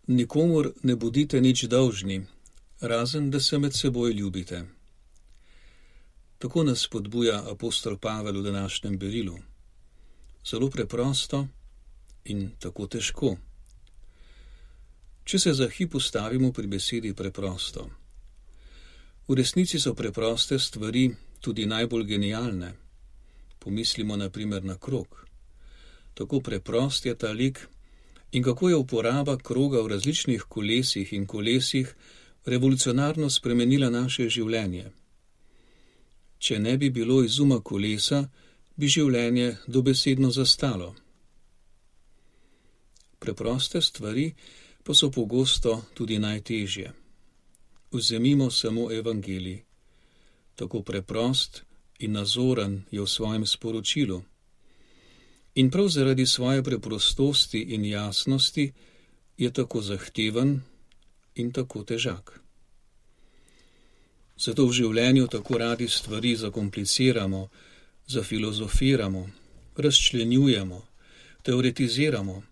Nikomur ne bodite nič dolžni, razen da se med seboj ljubite. Tako nas spodbuja apostol Pavel v današnjem berilu. Zelo preprosto in tako težko. Če se za hip ustavimo pri besedi preprosto. V resnici so preproste stvari tudi najbolj genialne. Pomislimo na primer na krog. Tako preprost je ta lik in kako je uporaba kroga v različnih kolesih in kolesih revolucionarno spremenila naše življenje. Če ne bi bilo izuma kolesa, bi življenje dobesedno zastalo. Preproste stvari pa so pogosto tudi najtežje. Vzemimo samo evangelij. Tako preprost in nazoren je v svojem sporočilu. In prav zaradi svoje preprostosti in jasnosti je tako zahteven in tako težak. Zato v življenju tako radi stvari zakompliciramo, zafilozofiramo, razčlenjujemo, teoretiziramo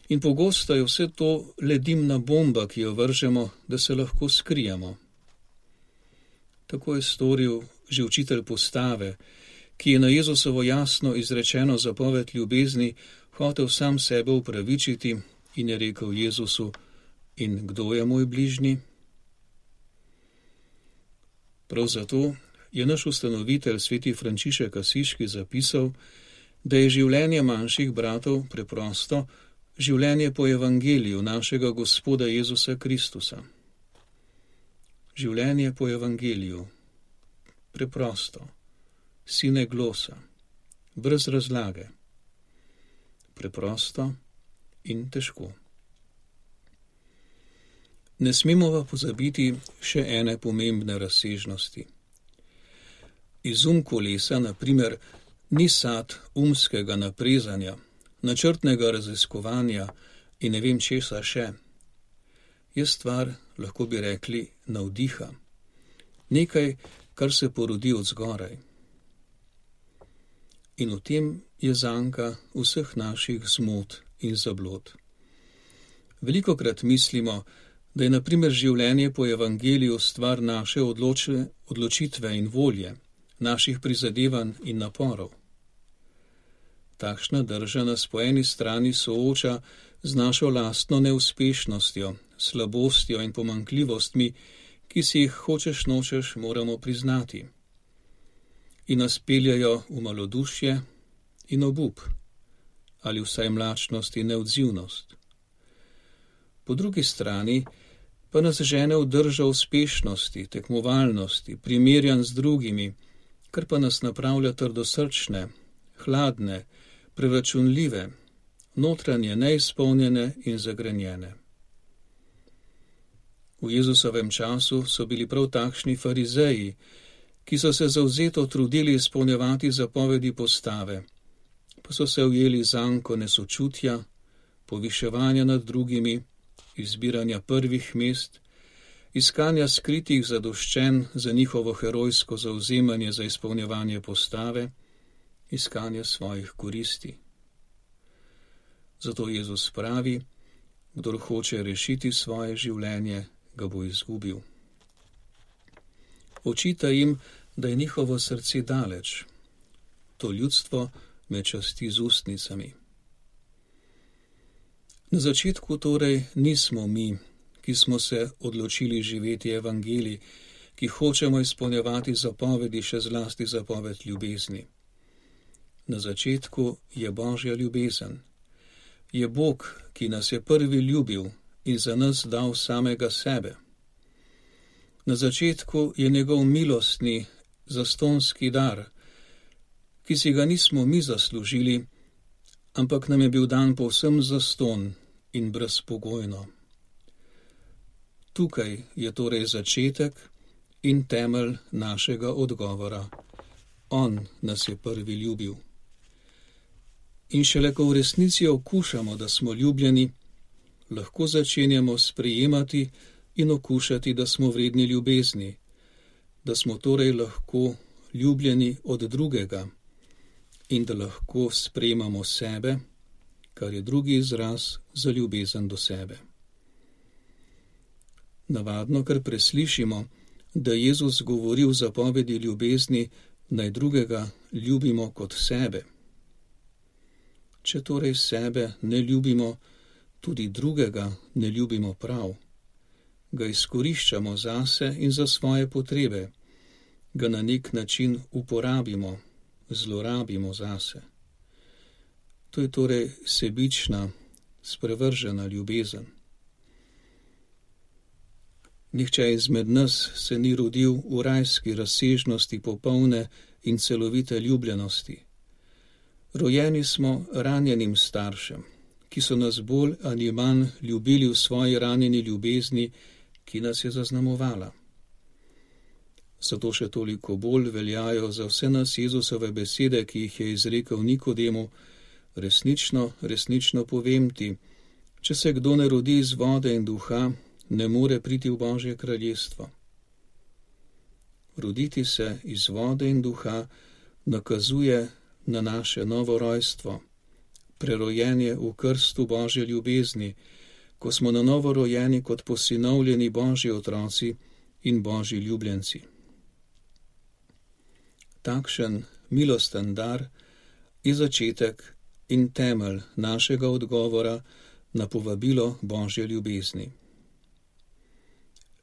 in pogosto je vse to le dimna bomba, ki jo vržemo, da se lahko skrijemo. Tako je storil že učitelj postave, ki je na Jezusovo jasno izrečeno zapoved ljubezni hotel sam sebe upravičiti in je rekel Jezusu: in kdo je moj bližnji? Prav zato je naš ustanovitelj sveti Frančišek Asiški zapisal, da je življenje manjših bratov preprosto življenje po evangeliju našega Gospoda Jezusa Kristusa. Življenje po evangeliju. Preprosto. Sine glosa. Brez razlage. Preprosto in težko. Ne smemo pa pozabiti še ene pomembne razsežnosti. Izum kolesa, na primer, ni sad umskega naprezanja, načrtnega raziskovanja in ne vem česa še. Je stvar, lahko bi rekli, navdiha. Nekaj, kar se porodi od zgoraj. In v tem je zanka vseh naših zmot in zablod. Velikokrat mislimo, da je na primer življenje po evangeliju stvar naše odločitve in volje, naših prizadevanj in naporov. Takšna drža nas po eni strani sooča z našo lastno neuspešnostjo, slabostjo in pomanjkljivostmi, ki si jih hočeš nočeš moramo priznati, in nas peljajo v malodušje in obup, ali vsaj mlačnost in neodzivnost. Po drugi strani pa nas žene v držo uspešnosti, tekmovalnosti, primerjanj z drugimi, kar pa nas napravlja trdosrčne, hladne, preračunljive, notranje neizpolnjene in zagrenjene. V Jezusovem času so bili prav takšni farizeji, ki so se zavzeto trudili izpolnjevati zapovedi postave, pa so se ujeli zanko nesočutja, poviševanja nad drugimi, izbiranja prvih mest, iskanja skritih zadoščenj za njihovo herojsko zavzemanje za izpolnjevanje postave, iskanja svojih koristi. Zato Jezus pravi, kdor hoče rešiti svoje življenje, ga bo izgubil. Očita jim, da je njihovo srce daleč. To ljudstvo me časti z ustnicami. Na začetku torej nismo mi, ki smo se odločili živeti evangelij, ki hočemo izpolnjevati zapovedi, še zlasti zapoved ljubezni. Na začetku je Božja ljubezen. Je Bog, ki nas je prvi ljubil in za nas dal samega sebe. Na začetku je njegov milostni, zastonski dar, ki si ga nismo mi zaslužili, ampak nam je bil dan povsem zaston in brezpogojno. Tukaj je torej začetek in temelj našega odgovora. On nas je prvi ljubil. In šele ko v resnici okušamo, da smo ljubljeni, lahko začenjamo sprejemati in okušati, da smo vredni ljubezni, da smo torej lahko ljubljeni od drugega in da lahko sprejemamo sebe, kar je drugi izraz za ljubezen do sebe. Navadno kar preslišimo, da Jezus govori v zapovedi ljubezni, naj drugega ljubimo kot sebe. Če torej sebe ne ljubimo, tudi drugega ne ljubimo prav. Ga izkoriščamo zase in za svoje potrebe, ga na nek način uporabimo, zlorabimo zase. To je torej sebična, sprevržena ljubezen. Nihče izmed nas se ni rodil v rajski razsežnosti popolne in celovite ljubljenosti. Rojeni smo ranjenim staršem, ki so nas bolj ali manj ljubili v svoji ranjeni ljubezni, ki nas je zaznamovala. Zato še toliko bolj veljajo za vse nas Jezusove besede, ki jih je izrekel Nikodemu: resnično, resnično povem ti, če se kdo ne rodi iz vode in duha, ne more priti v Božje kraljestvo. Roditi se iz vode in duha nakazuje na naše novo rojstvo, prerojenje v krstu Božje ljubezni, ko smo na novo rojeni kot posinovljeni Božji otroci in Božji ljubljenci. Takšen milosten dar je začetek in temelj našega odgovora na povabilo Božje ljubezni.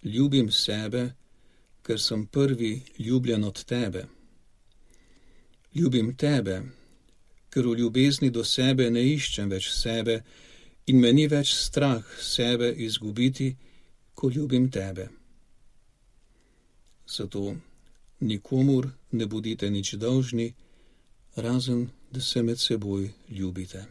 Ljubim sebe, ker sem prvi ljubljen od tebe. Ljubim tebe, ker v ljubezni do sebe ne iščem več sebe in me ni več strah sebe izgubiti, ko ljubim tebe. Zato nikomur ne bodite nič dolžni, razen da se med seboj ljubite.